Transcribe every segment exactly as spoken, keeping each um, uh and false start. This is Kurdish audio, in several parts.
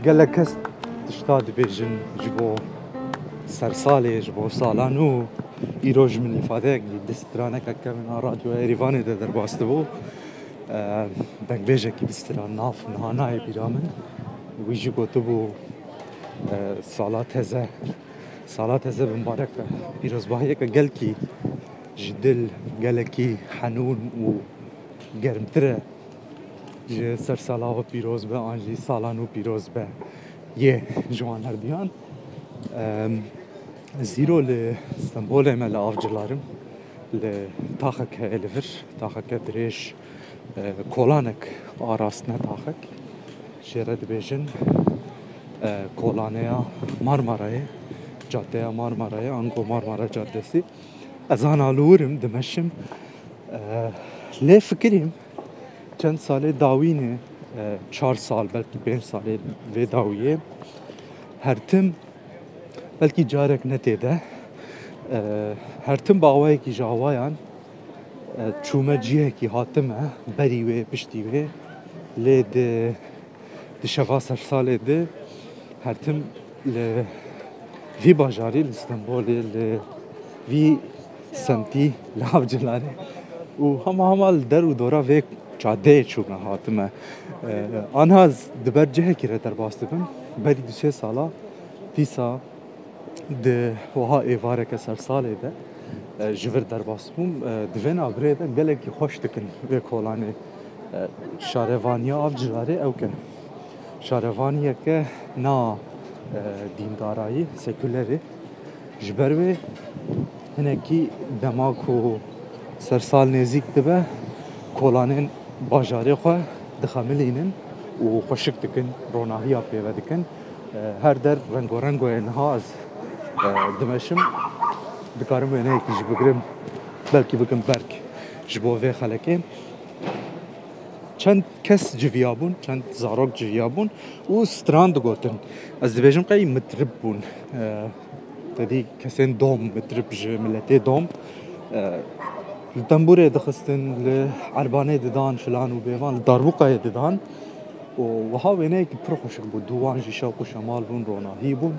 Gelek kes tişta dibêjin ji bo sersalê, ji bo sala nû. Îro ji min îfadeyek dî, di straneke kevin a Radyoya Êrîvanê de derbas dibû. E, dengbêjekî di stran nav niha nayê bîra min. Wî jî gotibû, e, sala teze, sala teze bi mibarek be. Pîrozbahiyeke gelkî ji dil, gelekî henûn û germtir e. Ji sersala we pîroz be, an jî sala nû pîroz be yê ji wan herduyan. Em, zîro li Stenbolê me, li Avcilar im, li taxek heye li vir, taxeke dirêj, e, kolanek a rast, ne taxek. Jê re dibêjin, e, kolaneya Marmarayê, caddeya Marmarayê, ango Marmara Caddesi. Ez ana li wir im, dimeşim. E, lê fikirîm, çend salê dawî ne, e, çar sal, belkî pênc salê vê dawiyê, her tim, belkî carek ne tê de, e, her tim bi awayekî ji awayan, e, çûme cihekî, hatime berî wê, piştî wê, lê di, di şeva sersalê de her tim li vî bajarî, li Stenbolê, li vî semtî, li Avcilarê û hema hema li der û dora vê cadeyê çûme hatime. E, anha ez di ber cihekî re derbas dibim. Berî du sê sala, dîsa di wiha êvareke sersalê de, e, ji vir derbas bûm. E, di vê navbirê de gelekî xweş dikin vê kolanê. E, şarevaniya Avcilarê ew ke şarevaniyeke na, e, dîndarayî, sekulerê. Ji ber wê hinekî dema ku sersal nêzîk dibe, kolanên bajarê xwe dixemilînin û xweşik dikin, ronahiya pê ve dikin. E, her der rengorengo ye. Niha ez, e, dimeşim, dikarim wêneyekî jî bigirim, belkî bikim berk ji bo vê xelekê. Çend kes civiya bûn, çend zarok civiya bûn û stran digotin. Ez dibêjim qey mitrib bûn. E, te dî kesên dom, mitrib ji miletê dom. E, li tembûrê dixistin, li erbanê didan filan û bêvan, li darbûqayê didan. Û wiha wêneyekî pir xweşik bû. Dû wan jî şewq û şemal bûn, ronahî bûn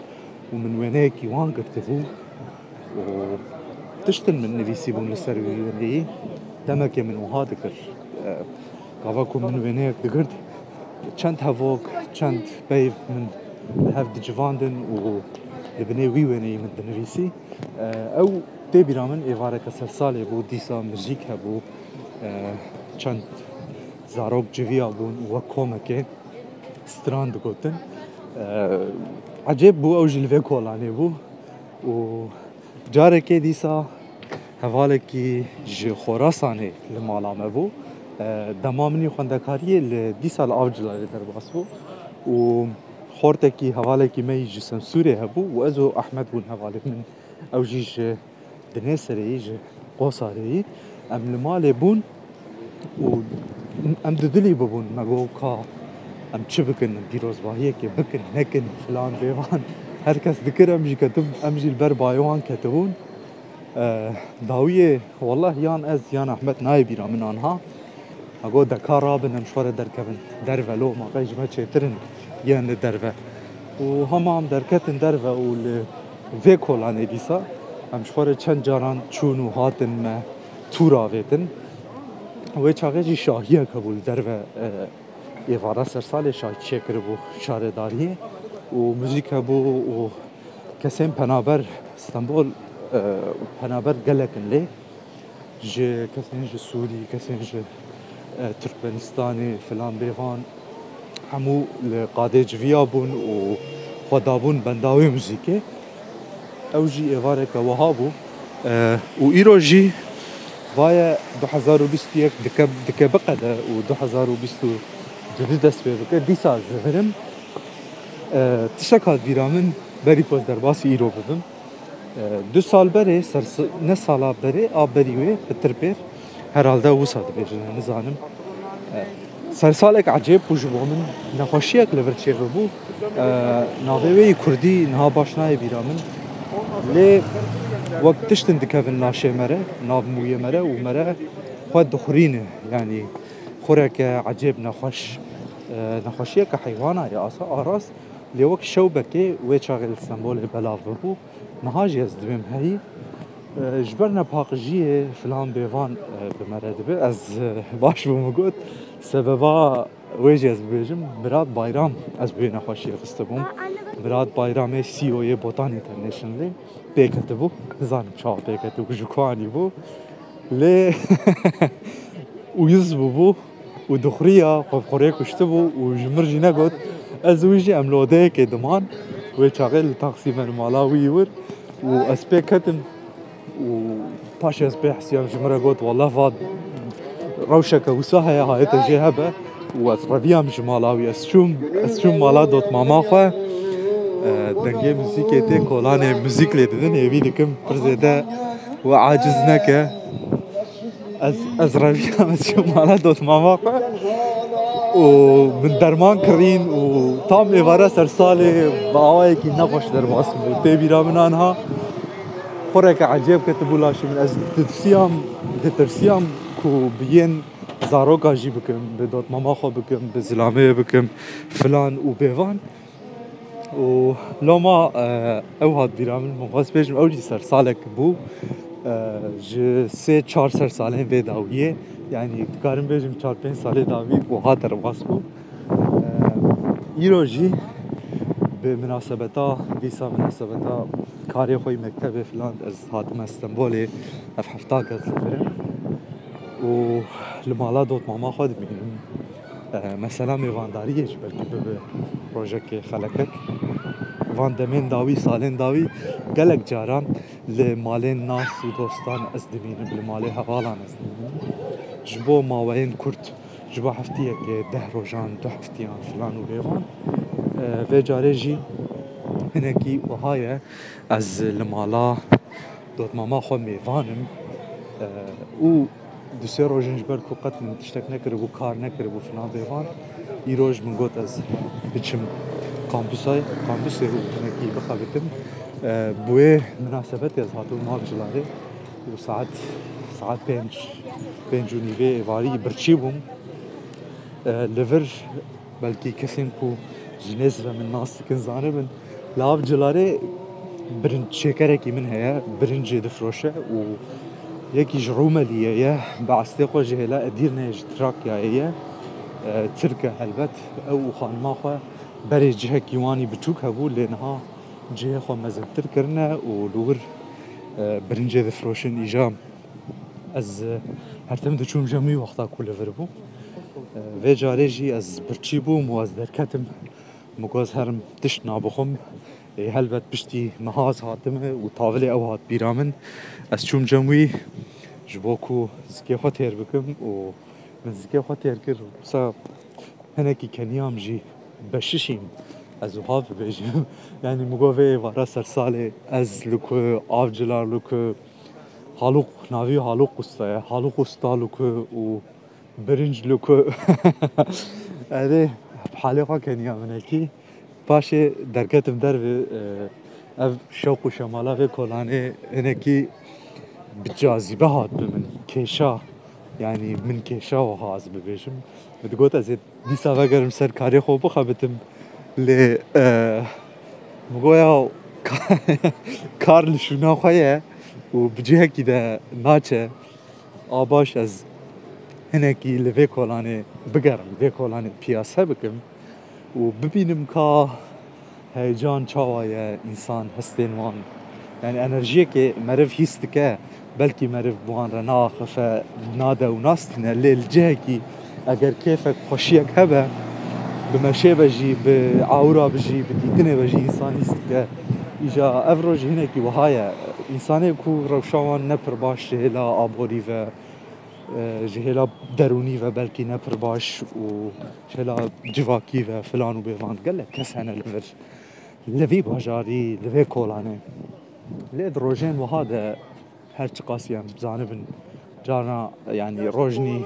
û min wêneyekî wan girtibû. Û tiştin min nivîsîbûn li ser wî wêneyî. Demekê min wiha dikir. E, gava ku min wêneyek digirt, çend hevok, çend peyv min li hev dicivandin û li binê wî wêneyî min dinivîsî. E, ew tê bîra min êvareke sersalê bû, dîsa muzîk hebû, e, çend zarok civiya bûn û wek komekê stran digotin. E, ecêb bû, ew jî li vê kolanê bû û carekê dîsa hevalekî ji Xorasanê li mala me bû. E, dema min î xwendekariyê li dîsa li Avcilarê derbas bû û xortekî, hevalekî me yî ji Semsûrê hebû û ez û Ehmed bûn hevalên min. Ew jî ji Dinêserê yî, ji Qosarê yî. Em li malê bûn û em dudilî bibûn. Me got, ka em çi bikin, em pîrozbahiyekê bikin, nekin, filan bêvan. Her kes dikir, em jî ketin, em jî li ber bayê wan ketibûn. E, dawiyê, wallah, yan ez, yan Ehmed, nayê bîra min anha. Me got, deka rabin, em ji xwe re derkevin derve, lo, ma qey ji me çêtir in yên li derve. Û hema em derketin derve û li vê kolanê dîsa em ji xwe re çend caran çûn û hatin me tûr avêtin. Wê çaxê jî şahiyek hebû li derve, e, êvara sersalê şahî çêkiribû şaredariyê û muzîk hebû û kesên penaber Stenbol, e, penaber gelek in lê. Ji kesên ji Sûrî, kesên ji, e, Tirkmenistanê filan bêvan hemû li qadê civiya bûn û xwe dabûn benda wê muzîkê. Ew jî êvareke wiha bû. E, û îro jî vaye du hezar û bîst û yek dike, dike biqede û du hezar û bîst û du dest pê bike. Dîsa ez divirim. E, tiştek hat bîra min berî ku ez derbasî îro bibim. E, du sal berê, ser s-, ne sala berê, a berî wê, pitir pêr, herhalde wisa dibêjin, nizanim. E, sersalek ecêb bû ji bo min, nexweşiyek li vir çêbibû. E, navê wê yî kurdî niha baş nayê bîra min. Lê wek tiştin dikevin laşê me re, nav mûyê me re û me re xwe dixurîne, yanî xureke ecêb nexweş, e, nexweşiyeke heywana ye, asa arast. Lê wek şewbekê wê çaxê li Stenbolê belav bibû. Niha jî ez divêm heyî. E, ji ber nepaqijiyê filan bêvan, e, bi me re dibe. Ez, e, baş bûm got. Sebeba wê jî ez bibêjim, Mirat Bayram ez bi wê nexweşiyê xistibûm. Mirat Bayramê C E O yê Botan Internationalê pê ketibû. Nizanim çawa pê ketibû, ji ku anîbû. Lê uyuz bûbû û dixuriya xwe bi xurê kuştibû û ji mir jî negot. Ez û wî jî em li odeyekê diman. Wê çaxê li taksî me li mala wî wir û ez pê ketim û paşê ez pê hesiyam, ji min re got, "Wallah, va rewşeke wisa heye, hayê te jê hebe." Û ez reviyam ji mala wî. Ez çûm, ez çûm mala dotmama xwe. E, dengê muzîkê tê, kolanê muzîk lê didin, hêvî dikim pir zêde we aciz neke. Ez, ez reviyam, ez çûm mala dotmama xwe û min derman kirîn û tam êvara ser salê bi awayekî nexweş derbas bû. Tê bîra min anha xureke ecêb ketibû laşê min. Ez ditirsiyam, ditirsiyam ku bi yên zaroka jî bikim, bi dotmama xwe bikim, bi zilamê bikim filan û bêvan. Û loma, e, ew hat bîra min, min xwest bêjim, ew jî sersalek bû. E, ji sê çar sersalên vê dawiyê, yanî dikarim bêjim çar pênc salê dawî wiha derbas bû. E, îro jî bi minasebeta, dîsa minasebeta karê xwe yê mektebê filan, ez hatime Stenbolê, ev hefta kes li vir in. Û li mala dotmama xwe dimînim. E, mesela mêvandariyê jî belkî bibe rojekê xelekek. Van demên dawî, salên dawî gelek caran li malên nas û dostan ez dimînim, li malê hevalan ez dimînim. Ji bo maweyên kurt, ji bo heftiyekê, deh rojan, du heftiyan filan û bêvan. E, vê carê jî hinekî wiha ye, ez li mala dotmama xwe mêvan im, e, û du sê roj in ji ber ku qet min tiştek nekiribû, kar nekiribû filan bêvan. Îroj min got ez biçim kampusay-, kampusê û hinekî bixebitim. E, bi wê minasebetê ez hatibûm Avcilarê û saet, saet pênc, pênc û nîvê êvarî birçî bûm. E, li vir belkî kesên ku ji nêz ve min nas dikin zanibin. Li Avcilarê birinçêkerekî min heye, birincê difroşe û yekî ji Rûmeliyê ye, bi estê xwe ji hêla Edîrneyê, ji Trakyayê ye. E, Tirk e helbet, ew û xanima xwe berê cihekî wan î biçûk hebû, lê niha cihê xwe mezintir kirine û li wir, e, birincê difroşin. Îja ez, e, her tim diçûm cem wî wexta ku li vir bû. E, vê carê jî ez birçî bûm û ez derketim. Min got ez herim tişt nabixwim. Ê, helbet piştî niha ez hatime û tavilê ew hat bîra min. Ez çûm cem wî ji bo ku zikê xwe têr bikim û min zikê xwe têr kir. Wisa hinekî keniyam jî beşişîm. Ez wiha bibêjim. Yanî min got vê êvara sersalê ez li ku, Avcilar li ku, Halûq, navî Halûq Usta ye. Halûq Usta li ku û Birinc li ku. Erê, halê xwe keniya minekî. Paşê derketim dervê, e, ev şewq û şemala vê kolanê hinekî bi cazîbe hat bi min. Kêşa, yanî min kêşa wiha ez bibêjim. Min digot ez ê dîsa vegerim ser karê xwe bixebitim. Lê, e, min got ya ka-, kar li şûna xwe ye û bi cihekî de naçe. A baş ez hinekî li vê kolanê bigerim, vê kolanê piyase bikim û bibînim ka heyecan çawa ye, însan hestên wan, yani enerjiyekê meriv hîs dike, belkî meriv bi wan re naaxife, nade û nastîne, lê li cihekî eger kêfek, xweşiyek hebe, bi meşê ve jî, bi awira ve jî, bi dîtinê ve jî însan hîs dike. Îja ev roj hinekî wiha ye. Însanê ku rewşa wan ne pir baş ji hêla aborî ve, e, ji hêla derûnî ve belkî ne pir baş û ji hêla civakî ve filan û bêvan gelek kes hene li vir, li vî bajarî, li vê kolanê. Lê di rojên wiha de her çiqasî em zanibin, carna, yanî rojnî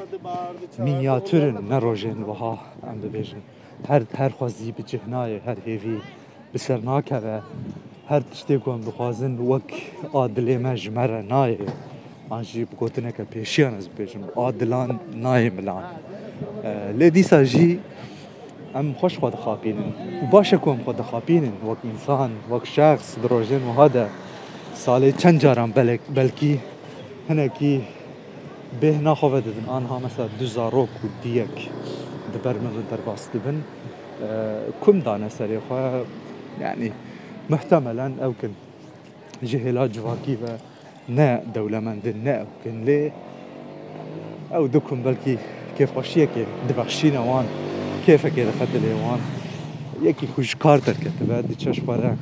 mînyatûr in, ne rojên wiha em bibêjin. Her, her xwezî bi cih nayê, her hêvî bi ser nakeve. Her tiştê ku em dixwazin wek a dilê me ji me re nayê. An jî bi gotineke pêşiyan ez bibêjim, a dilan nayê milan. Lê dîsa jî em xweş xwe dixapînin û baş e ku em xwe dixapînin wek însan, wek şexs di rojên wiha de. Salê çend caran belek, belkî hinekî bêhna xwe vedidin. Anha mesela du zarok û diyek di ber min re derbas dibin. Kum dane serê xwe, yanî muhtemelen ew kin ji hêla civakî ve ne dewlemend in, ne ew kin, lê ew du kum belkî kêfxweşiyekê dibexşîne wan, kêfekê dixete lê wan. Yekî ku ji kar derketibe, diçe ji xwe re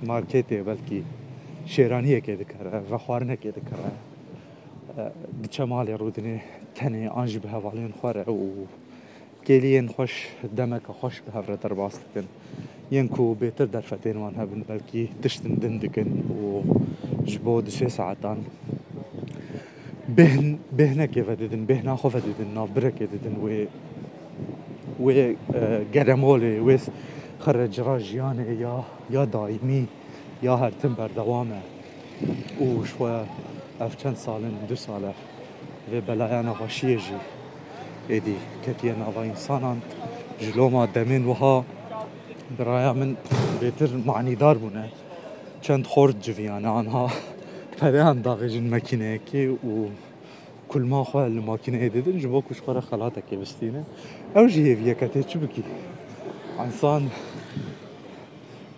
marketê belkî şêraniyekê dikere, vexwarinekê dikere, diçe malê rûdinê tenê an jî bi hevalên xwe re û kêliyên xweş, demeke xweş bi hev re derbas dikin. Yên ku bêtir derfetên wan hebin, belkî tiştin din dikin û ji bo du sê saetan bêhn-, bêhnekê vedidin, bêhna xwe vedidin, navbirekê didin wê, wê, e, geremolê, wê xirrecira jiyanê ya, ya daîmî, ya her tim berdewam e. Û ji xwe ev çend sal in, du sal e, vê belaya nexweşiyê jî êdî ketiye nava însanan. Ji loma demên wiha bi raya min bêtir manîdar bûne. Çend xort civiyane, anha pereyan davêjin makîneyekê û kulma xwe li makîneyê didin ji bo ku ji xwe re xelatekê bistîne. Ew jî hêviyeke tê çi bikî? Însan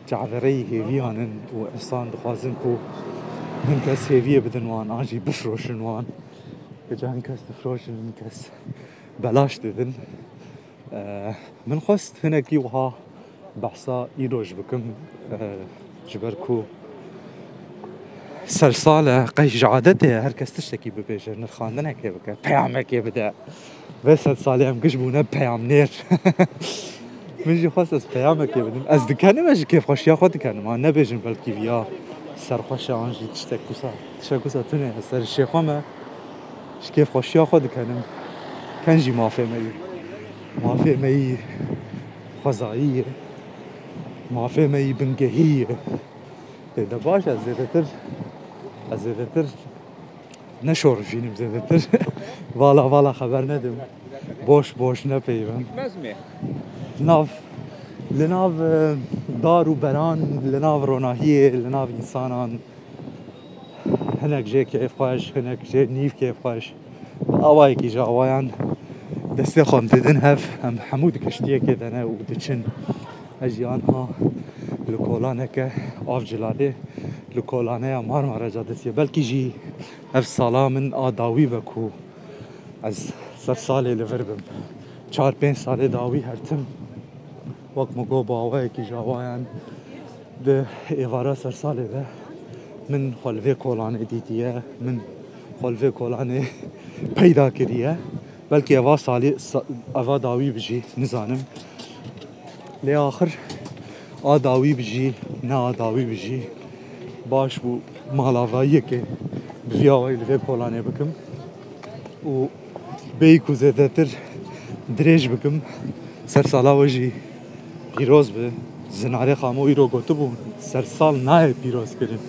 çavêreyî hêviyan in û însan dixwazin ku hin kes hêviyê bidin wan, an jî bifiroşin wan. Hêca hin kes difiroşin, hin kes belaş didin. E, min xwest hinekî wiha behsa îroj bikim, e, ji ber ku sersal e, qey ji adetê ye her kes tiştekî bibêje, nirxandinekê bike, peyamekê bide. Vê sed salê em giş bûne peyamnêr. Min jî xwest ez peyamekê bidim. Ez dikenim, ez ji kêfxweşiya xwe dikenim. Ha, nebêjin belkî viya serxweş e an jî tiştek wisa, tiştek wisa tune ye. Ser şêxwe me, ji kêfxweşiya xwe dikenim. Ken jî mafê me yî. Mafê me yî xwezayî ye. Mafê me yî bingehî ye. Ê, de baş e, ez zêdetir, ez zêdetir neşorifînim zêdetir. Vala vala xeber nedim. Boş boş nepeyivim. Gitmez mi? Nav, li nav, e, dar û beran, li nav ronahiyê, li nav însanan, hinek jê kêfxweş, hinek jê nîv kêfxweş. Awayekî ji awayan destê xwe em didin hev, em hemû di kiştiyekê de ne û diçin. Ez jî anha li kolaneke Avcilalê, li kolaneya Marmara Cadesiye. Belkî jî ev sala min a dawî be ku ez ser salê li vir bim. Çar pênc salê dawî her tim wek min got, bi awayekî ji awayan di êvara ser salê de min xwe li vê kolanê dîtiye, min xwe li vê kolanê peyda kiriye. Belkî eva salê, sa-, eva dawî bijî, nizanim. Lê axir a dawî bijî, ne a dawî bijî, baş bû mala va yekê bi vî awayî li vê kolanê bikim. Û bêyî ku zêdetir dirêj bikim, ser sala we jî pîroz be. Zinarê Xamo îro gotibû, sersal nayê pîrozkirin.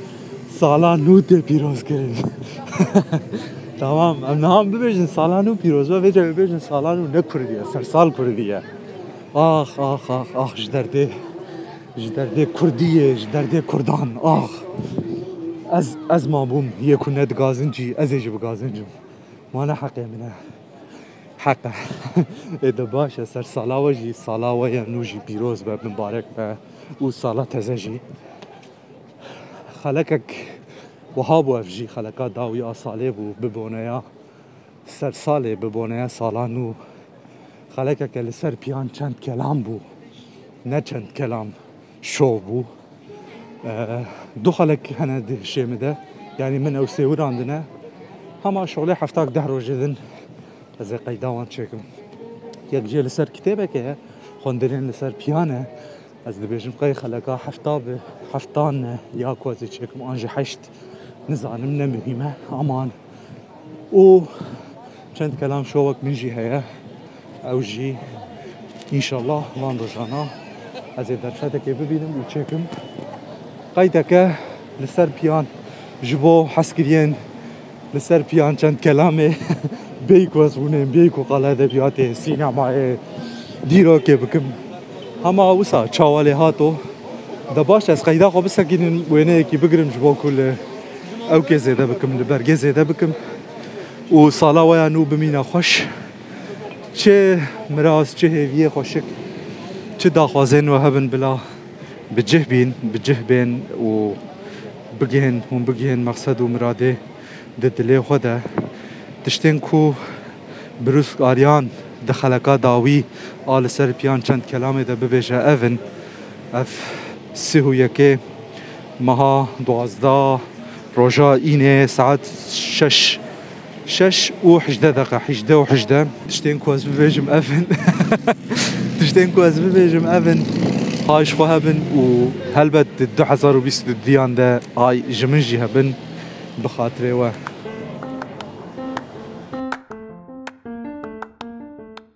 Sala nû tê pîrozkirin. Tamam, em niha em bibêjin sala nû pîroz be, vêca bibêjin sala nû ne kurdî ye, sersal kurdî ye. Ax, ax, ax, ax, ji derdê, ji derdê kurdî ye, ji derdê kurdan, ax. Ez, ez mabûm, yê ku ne digazincî, ez ê jî bigazincim. Ma ne heqê min e. Heq e. Ê de baş e, ser sala we jî, sala we ya nû jî pîroz be, mibarek be û sala teze jî. Xelekek wiha bû ev jî, xeleka dawî a salê bû, bi boneya ser salê, bi boneya sala nû. Xelekeke li ser piyan çend kelam bû. Ne çend kelam, şov bû. E, du xelek hene di hişê min de. Yanî min ew sêwirandine. Hema şolê heftak deh rojê din ez ê qeyda wan çêkim. Yek jê li ser kitêbeke ye, xwendirên li ser piyan e. Ez dibêjim qey xeleka hefta bi heftan ne ya ku ez ê çêkim an jî heşt. Nizanim, ne muhîm e. Aman. Û çend kelam şovek min jî heye. Ew jî înşallah van rojana ez ê derfetekê bibînim û çêkim. Qeydeke li ser piyan ji bo hezkiriyên li ser piyan çend kelamê Bêyî ku ez hûnêm, bêyî ku qala edebiyatê, sînemayê, dîrokê bikim. Hema wisa çawa lê hato. De baş, ez qeyda xwe bisekînim, wêneyekî bigirim ji bo ku li ewkê zêde bikim, li bergê zêde bikim. Û sala we ya nû bimîne xweş. Çi miraz, çi hêviyê xweşik, çi daxwazên we hebin bila bi cih bîn, bi cih bên û bigihên, hûn bigihên mexsed û miradê di dilê xwe de. Tiştên ku Brûsk Aryan di xeleka dawî a li ser piyan çend kelamê de bibêje ev in. Ev sih û yekê meha duwazdeh, roja înê, saet şeş, şeş û hejdeh deqe, hejdeh û hejdeh. Tiştên ku ez bibêjim ev in. Tiştên ku ez bibêjim ev in. Hay ji xwe hebin û helbet di du hezar û bîst û duyan de ay ji min jî hebin, bi xatirê we.